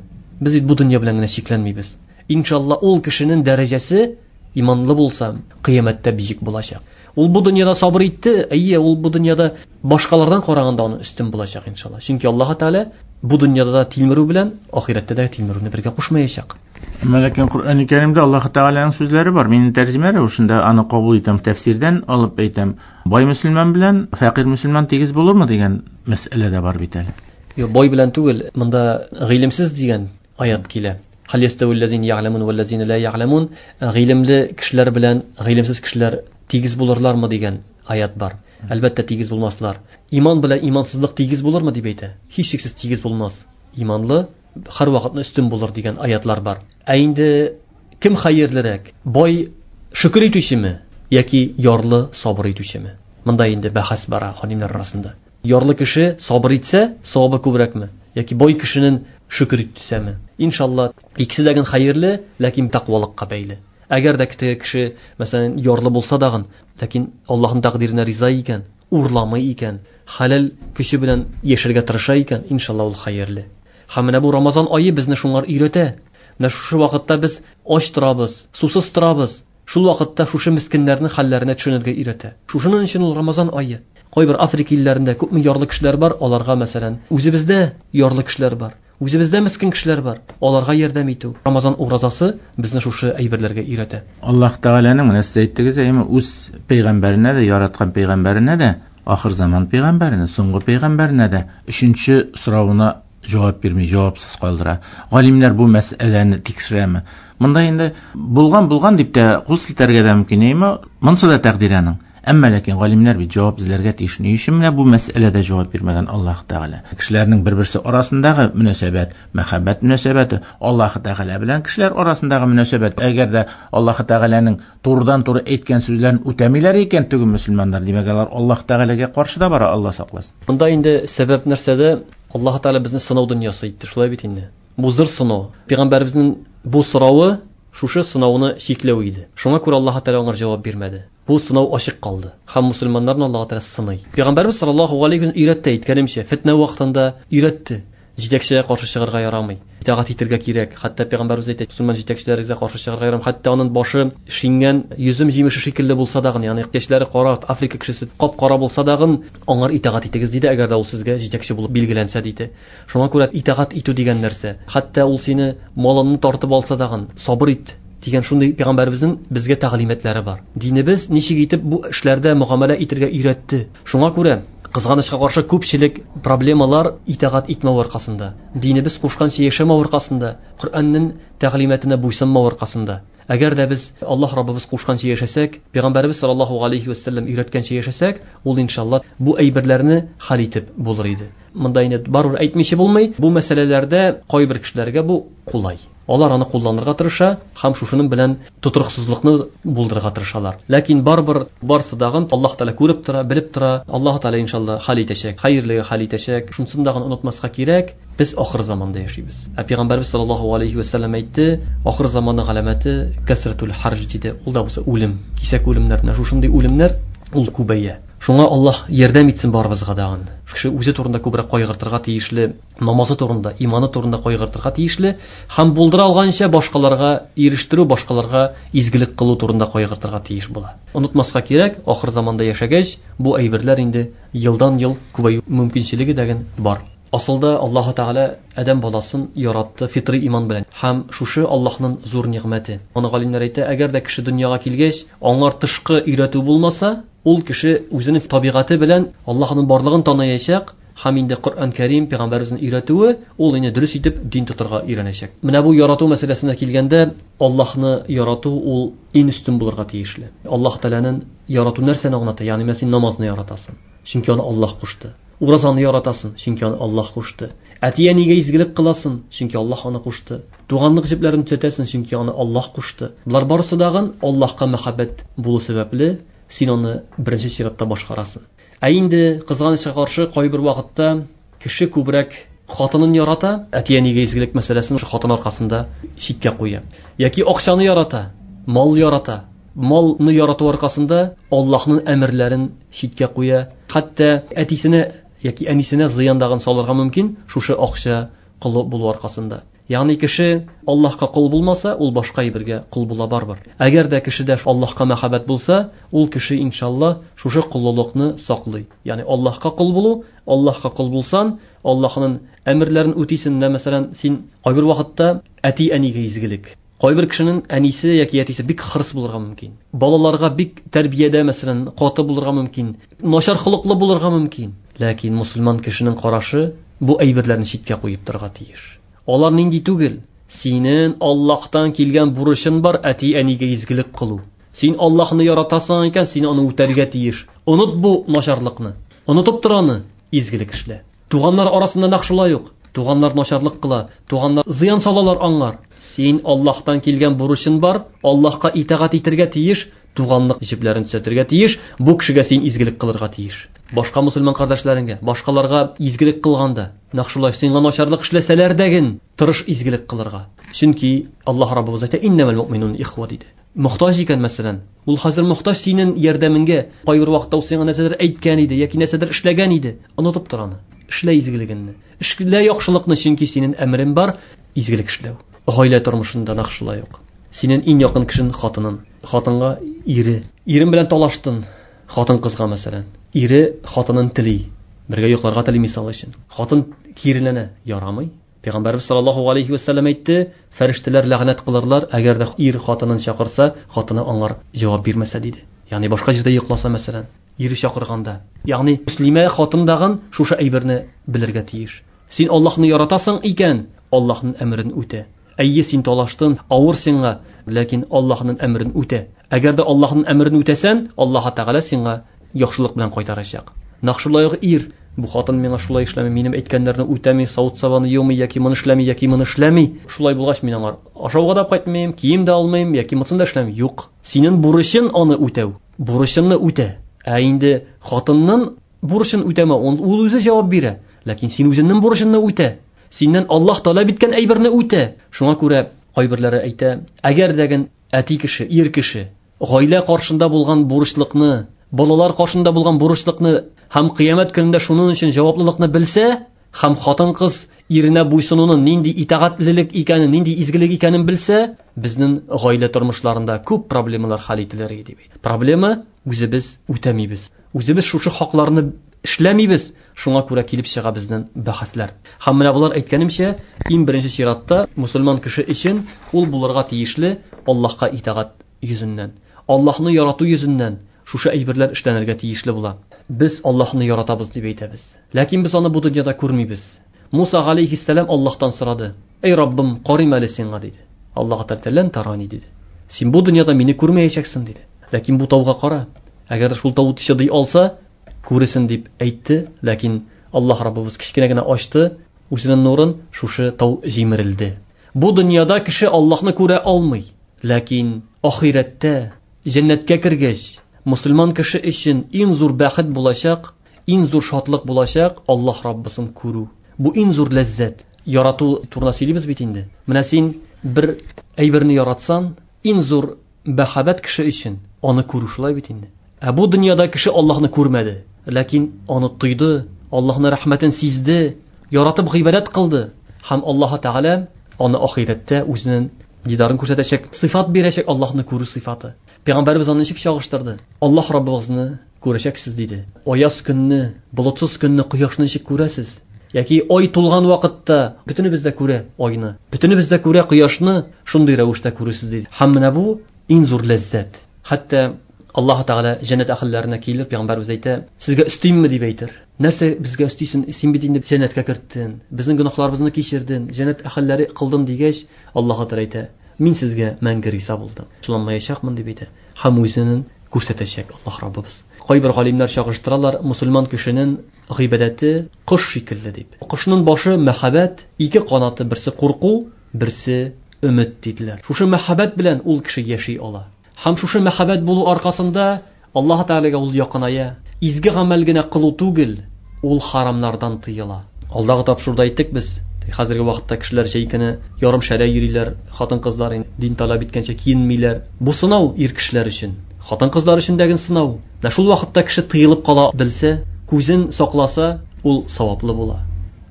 без бит бу дөнья белән генә чикләнмибез. Иншалла ул кешенең дәрәҗәсе иманлы булса, кыямәттә бөек булачак. Ул бу дөньяда сабыр итте, әйе, ул бу дөньяда башкалардан караганда аны өстен булачак иншалла. Чөнки Аллаһ Тәгалә бу дөньяда да тилмерү белән ахирәттә дә тилмерүне бергә кушмаячак. Ләкин Коръән Кәримдә Аллаһ Тәгаләнең сүзләре бар. Мин тәрҗемә рәвешендә аны кабул итәм, тәфсирдән алып әйтәм. Бай мөселман белән фәкыйрь мөселман тигез булырмы дигән мәсьәлә дә бар бит әле. Юк, бай белән түгел, монда гыйлемсез дигән аят килә. Хал ястәвил-ләзина я'ламун вәл-ләзина ла я'ламун. Гыйлемле кешеләр белән гыйлемсез кешеләр тигез булырлармы дигән аят бар. Әлбәттә тигез булмаслар. Иман белән имансызлык тигез булырмы дип әйтә. Һичшиксез тигез булмас. Иманлы һәр вакытны өстен булыр дигән аятлар бар. Ә инде кем хәерлерәк? Бай шөкер итүчеме яки ярлы сабыр итүчеме? Монда инде бәхәс бара галимнәр арасында. Ярлы кеше сабыр итсә, савабы күбрәкме? Яки бай кешенең шөкер итсәме? Иншалла, икесе дә хәерле, ләкин тәкъвалыкка бәйле. Әгәр дә теге кеше, мәсәлән, ярлы булса дагын, ләкин Аллаһның тәкъдиренә риза икән, урламый икән, хәләл көче белән яшәргә тырыша икән, иншалла ул хәерле. Һәм менә бу Рамазан ае безне шуңар өйрәтә. Менә шушы вакытта без ач торабыз, сусыз торабыз. Шул вакытта шушы мискиннәрнең хәлләренә төшенергә өйрәтә. Шушының өчен ул Рамазан ае. Кайбер Африка илләрендә күпме ярлы кешеләр бар, аларга мәсәлән, үзебездә ярлы кешеләр бар, үзебездә мискин кешеләр бар, аларга ярдәм итү. Рамазан уразасы безне шушы әйберләргә өйрәтә. Аллаһ Тәгаләнең менә сез әйттегез, әйме, үз пәйгамбәренә дә, яраткан пәйгамбәренә дә, ахыр заман пәйгамбәренә, соңгы пәйгамбәренә дә өченче соравына җавап бирми, җавапсыз калдыра. Галимнәр бу мәсьәләне тикшерәме? Монда инде булган булган дип тә кул селтәргә дә мөмкин, әйме, монсы да тәкъдир аның. Әмма ләкин галимнәр бит җавап эзләргә тиеш. Ни өчен менә бу мәсьәләдә җавап бирмәгән Аллаһ Тәгалә? Кешеләрнең бер-берсе арасындагы мөнәсәбәт, мәхәббәт мөнәсәбәте, Аллаһ Тәгалә белән кешеләр арасындагы мөнәсәбәт. Әгәр дә Аллаһ Тәгаләнең турыдан-туры әйткән сүзләрен үтәмиләр икән, түгел мөселманнар, димәк, алар Аллаһ Тәгаләгә каршы да бара, Аллаһ сакласын. Монда инде сәбәп нәрсәдә? Аллаһ Тәгалә безне сынау дөньясы итте, шулай бит инде. Бу зур сынау. Пәйгамбәребезнең бу соравы шушы сынауны чикләү иде. Шуңа күрә Аллаһ Тәгалә аңа җавап бирмәде. Бу сынау ачык калды. Һәм мусульманнарны Аллаһ Тәгалә сыный. Пәйгамбәребез саллаллаһу алейһи ва сәлләм өйрәтте, әйткәнемчә, фитнә вакытында өйрәтте. Җитәкчегә каршы чыгарга ярамый. Итагать итәргә кирәк. Хәтта пәйгамбәребез әйтә, мусульман җитәкчеләргә каршы чыгарга ярамый. Хәтта аның башы шиңгән йөзем җимеше шикелле булса да, ягъни чәчләре кара, Африка кешесе кап-кара булса да, аңар итагать итегез диде, әгәр дә ул сезгә җитәкче булып билгеләнсә диде. Шуңа күрә итагать итү дигән нәрсә, хәтта ул сине малыңны тартып алса да, сабыр ит дигән шундый пәйгамбәребезнең безгә тәгълиматлары бар. Динебез ничек итеп бу эшләрдә мөгамәлә итәргә өйрәтте. Шуңа күрә кызганычка каршы күпчелек проблемалар итагать итмәү аркасында, динебез кушканча яшәмәү аркасында, Коръәннең тәгълиматына буйсынмау аркасында. Әгәр дә без Аллаһ Раббыбыз кушканча яшәсәк, Пәйгамбәребез саллаллаһу алейхи ва саллям өйрәткәнчә яшәсәк, ул иншалла бу әйберләрне хәл итеп булыр иде. Монда инде барыбер әйтмичә булмый, бу мәсьәләләрдә кайбер кешеләргә бу кулай. Алар аны кулланырга тырыша һәм шушының белән тотрыксызлыкны булдырырга тырышалар. Ләкин барыбер барсы дагын Аллаһ Тәгалә күреп тора, белеп тора. Аллаһ Тәгалә иншалла хәл итәчәк, хәерлегә хәл итәчәк. Шунысын дагын онытмаска кирәк. Без ахыр заманда яшибез. Ә Пәйгамбәрбез саллаллаһу алейхи ва саллям әйтте, ахыр заманның галәмәте кәсратул харж диде. Ул да булса үлем, кисәк үлемнәр, менә шушындый үлемнәр ул күбәя. Шуңа Аллаһ ярдәм итсен барыбызга дагын. Кеше үзе турында күбрәк кайгыртырга тиешле, намазы турында, иманы турында кайгыртырга тиешле һәм булдыра алганча башкаларга ирештерү, башкаларга изгелек кылу турында кайгыртырга тиеш була. Онытмаска кирәк, ахыр заманда яшәгәч, бу әйберләр инде елдан-ел күбәю мөмкинчелеге дәген бар. Асылда Аллаһ Тәгалә адәм баласын яратты фитри иман белән. Һәм шушы Аллаһның зур нигъмәте. Аны галимнәр әйтә, әгәр дә кеше дөньяга килгәч, аңар тышкы өйрәтү булмаса, ул кеше үзенең табигате белән Аллаһның барлыгын таныячак һәм инде Коръән Кәрим пәйгамбәребезнең өйрәтүе ул инде дөрес итеп дин тотарга өйрәнәчәк. Менә бу ярату мәсьәләсенә килгәндә, Аллаһны ярату ул иң өстен булырга тиешле. Аллаһ Тәгаләнең ярату нәрсәне аңлата? Ягъни син намазны яратасың, чөнки аны Аллаһ кушты. Уразаны яратасың, чөнки аны Аллаһ кушты. Әти-әнигә изгелек кыласың, чөнки Аллаһ аны кушты. Туганлык җепләрен төзәтәсең, чөнки аны Аллаһ кушты. Болар барысы дагын Аллаһка мәхәббәт булу сәбәпле син аны беренче чиратта башкарасың. Ә инде кызганычка каршы кайбер вакытта кеше күбрәк хатынын ярата, әти-әнигә изгелек мәсьәләсен шул хатын аркасында читкә куя. Яки акчаны ярата, мал ярата. Малны ярату аркасында Аллаһның әмерләрен читкә куя. Хәтта әтисенә яки әнисенә зыян дагын салырга мөмкин шушы акча колы булу аркасында. Ягъни кеше Аллаһка кол булмаса, ул башка әйбергә кол була барыбер. Әгәр дә кешедә Аллаһка мәхәббәт булса, ул кеше иншалла шушы коллылыкны саклый. Ягъни Аллаһка кол булу, Аллаһка кол булсан, Аллаһның әмерләрен үтисен. Мәсәлән, син кайбер вакытта әти-әнигә изгелек. Кайбер кешенең әнисе яки әтисе бик хырыс булырга мөмкин. Балаларга бик тәрбиядә, мәсәлән, каты булырга мөмкин, начар холыклы булырга мөмкин. Ләкин мусульман кешенең карашы бу әйберләрне читкә куеп торырга тиеш. Алар нинди түгел? Синең Аллаһтан килгән бурычың бар әти-әнигә изгелек кылу. Син Аллаһны яратасың икән, син аны үтәргә тиеш. Оныт бу начарлыкны. Онытып тор аны, изгелек эшлә. Туганнар арасында нәкъ шулай ук. Туганнар начарлык кыла, туганнар зыян салалар аңлар. Син Аллаһтан килгән бурычың бар, Аллаһка итагать итәргә тиеш, туганлык җепләрен төзәтергә тиеш, бу кешегә син изгелек кылырга тиеш. Башка мусульман кардәшләреңгә, башкаларга изгелек кылганда, нәкъ шулай сиңа начарлык эшләсәләр дәген, тырыш изгелек кылырга. Чөнки Аллаһ Раббыбыз әйтә, иннәмәл муъминун ихва диде. Мохтаҗ икән мәсәлән, ул хәзер мохтаҗ синең ярдәмеңгә, кайбер вакытта ул сиңа нәрсәдер әйткән иде яки нәрсәдер эшләгән иде, онытып тор аны. Эшлә изгелегеңне. Эшлә яхшылыкны, чөнки синең әмерең бар изгелек эшләү. Гаилә тормышында нәкъ шулай ук. Синең иң якын кешең хатының, хатынга ире. Ирем белән талаштың, хатын кызга мәсәлән. Ире хатынын тели, бергә йокларга тели мисал өчен. Хатын киреләнә, ярамый. Пәйгамбәрбез саллаллаһу алейхи ва саллям әйтте, фәрештәләр ләгънәт кылырлар, әгәр дә ир хатынын чакырса, хатыны аңар җавап бирмәсә диде. Ягъни башка җирдә йокласа мәсәлән, ире чакырганда. Ягъни мөслимә хатын дагын шушы әйберне белергә тиеш. Син Аллаһны яратасың икән, Аллаһның әмерен үтә. Әйе, син талаштың, авыр сиңа, ләкин Аллаһның әмерен үтә. Әгәр дә Аллаһның әмерен үтәсән, Аллаһ Тәгалә сиңа яхшылык белән кайтарачак. Нәкъ шулай ук ир, бу хатын миңа шулай эшләми, минем әйткәннәрне үтәми, савыт-сабаны юмый, яки моны эшләми, яки моны эшләми. Шулай булгач, мин аңар ашауга да кайтмыйм, кием дә алмыйм, яки монысын да эшләмим. Юк. Синең бурычың аны үтәү. Бурычыңны үтә. Ә инде хатынның бурычын үтәмә, ул үзе җавап бирә. Ләкин син үзеңнең бурычыңны үтә. Синнән Аллаһ таләп иткән әйберне үтә. Шуңа күрә кайберләре әйтә, әгәр дәген әти кеше, ир кеше гаилә каршында булган бурычлыкны, балалар каршында булган бурычлыкны һәм кыямәт көнендә шуның өчен җаваплылыкны белсә, һәм хатын-кыз иренә буйсынуның нинди итагатьлелек икәнен, нинди изгелек икәнен белсә, безнең гаилә тормышларында күп проблемалар хәл ителер иде дип. Проблема үзебез үтәмибез. Үзебез шушы хакларны эшләмибез. Шуңа күрә килеп чыга безнең бәхәсләр. Һәм менә болар әйткәнемчә, иң беренче чиратта мусульман кеше өчен ул булырга тиешле Аллаһка итагать йөзеннән, Аллаһны ярату йөзеннән шушы әйберләр эшләнергә тиешле була. Без Аллаһны яратабыз дип әйтәбез. Ләкин без аны бу дөньяда күрмибез. Муса алейхиссалам Аллаһтан сорады: "Эй Раббым, карыйм әле сиңа" диде. Аллаһ Тәгалә тарани диде. Син бу дөньяда мине күрмәячәксең, диде. Ләкин бу тауга кара. Әгәр шул тау чыдый алса, күресен дип әйтте. Ләкин Аллаһ Раббыбыз кечкенә генә ачты үзенең нурын, шушы тау җимерелде. Бу дөньяда кеше Аллаһны күрә алмый. Ләкин ахирәттә җәннәткә кергәч, мусульман кеше өчен иң зур бәхет булачак, иң зур шатлык булачак Аллаһ Раббысын күрү. Бу иң зур ләззәт. Ярату турында сөйлибез бит инде. Менә син бер әйберне яратсаң, иң зур мәхәббәт кеше өчен аны күрү, шулай бит инде. Ә бу дөньяда кеше Аллаһны күрмәде, ләкин аны тойды, Аллаһның рәхмәтен сизде, яратып гыйбадәт кылды һәм Аллаһ Тәгалә аны ахирәттә үзенең дидарын күрсәтәчәк, сыйфат бирәчәк, Аллаһны күрү сыйфаты. Пәйгамбәребез аны ничек чагыштырды? Аллаһ Раббыгызны күрәчәксез, диде. Аяз көнне, болытсыз көнне кояшны ничек күрәсез? Яки ай тулган вакытта бөтенебез дә күрә айны, бөтенебез дә күрә кояшны, шундый рәвештә күрәсез, диде. Һәм менә бу иң зур ләззәт. Хәтта Аллаһ Тәгалә җәннәт әһелләренә килеп, пәйгамбәребез әйтә: "Сезгә өстимме?" дип әйтер. Нәрсә безгә өстисен? Син бит инде җәннәткә керттең, безнең гөнаһларыбызны кичердең, җәннәт әһелләре кылдың дигәч, Аллаһ Тәгалә әйтә: "Мин сезгә мәңге риза булдым, шуланмаячакмын", дип әйтә. Һәм үзенең күрсәтәчәк Аллаһ Раббыбыз. Кайбер галимнәр чагыштыралар, мусульман кешенең гыйбадәте кош шикелле дип. Кошның башы мәхәббәт, ике канаты, берсе курку, берсе өмет диделәр. Шушы мәхәббәт белән ул кеше яши ала. Һәм шушы мәхәббәт булу аркасында Аллаһ Тәгаләгә ул якыная. Изге гамәл генә кылу түгел, ул харамнардан тыела. Алдагы тапшыруда әйттек без, хәзерге вакытта кешеләр җәй көне ярым шәрә йөриләр, хатын-кызлар дин таләп иткәнчә киенмиләр. Бу сынау ир кешеләр өчен, хатын-кызлар өчен дә сынау. Менә шул вакытта кеше тыелып кала белсә, күзен сакласа, ул саваплы була.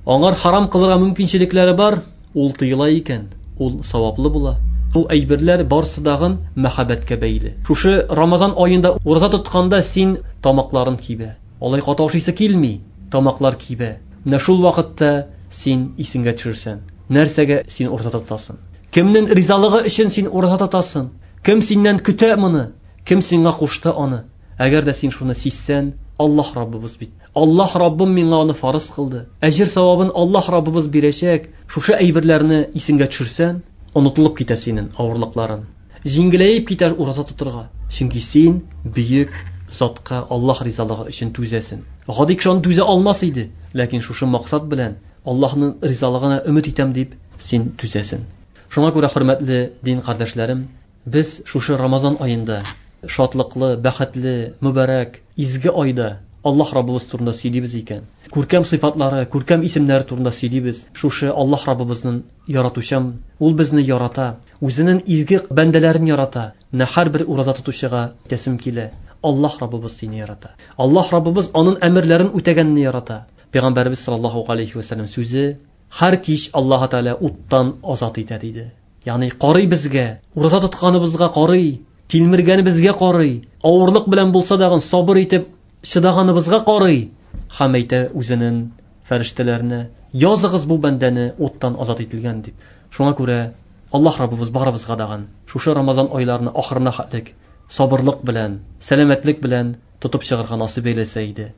Аңар харам кылырга мөмкинчелекләре бар, ул тыела икән, ул саваплы була. Бу әйберләр барсы дагын мәхәббәткә бәйле. Шушы Рамазан аенда ураза тотканда син тамакларын кибә. Алай каты ашыйсы килми, тамаклар кибә. Менә шул вакытта син исеңгә төшерсән, нәрсәгә син ураза тотасың? Кемнең ризалыгы өчен син ураза тотасың? Кем синнән көтә моны? Кем сиңа кушты аны? Әгәр дә син шуны сизсән, Аллаһ Раббыбыз бит. Аллаһ Раббым миңа аны фарыз кылды. Әҗер савабын Аллаһ Раббыбыз бирәчәк. Шушы әйберләрне исеңгә төшерсән, онытылып китә синең авырлыкларын. Җиңеләеп китәр ураза тотырга. Чөнки син бөек затка Аллаһ ризалыгы өчен түзәсең. Гади кеше аны түзә алмас иде, ләкин шушы максат белән Аллаһның ризалыгына өмет итәм дип син түзәсең. Шуңа күрә, хөрмәтле дин кардәшләрем, без шушы Рамазан аенда шатлыклы, бәхетле, мөбарәк, изге айда Аллаһ Раббыбыз турында сөйлибез икән, күркәм сыйфатлары, күркәм исемнәре турында сөйлибез. Шушы Аллаһ Раббыбызның яратучан, ул безне ярата, үзенең изге бәндәләрен ярата. Менә һәрбер ураза тотучыга әйтәсем килә: Аллаһ Раббыбыз сине ярата. Аллаһ Раббыбыз аның әмерләрен үтәгәнне ярата. Пәйгамбәребез саллаллаһу алейхи ва сәлләм сүзе: "Һәр кич Аллаһ Тәгалә уттан азат итә", диде. Ягъни карый безгә, ураза тотканыбызга карый, тилмергәнебезгә карый, авырлык белән булса да сабыр итеп чыдаганыбызга карый һәм әйтә үзенең фәрештәләренә: "Языгыз бу бәндәне уттан азат ителгән", дип. Шуңа күрә Аллаһ Раббыбыз барыбызга дагын шушы Рамазан айларына ахырына хәтлек сабырлык белән, сәламәтлек белән тотып чыгарга насыйп әйләсә иде.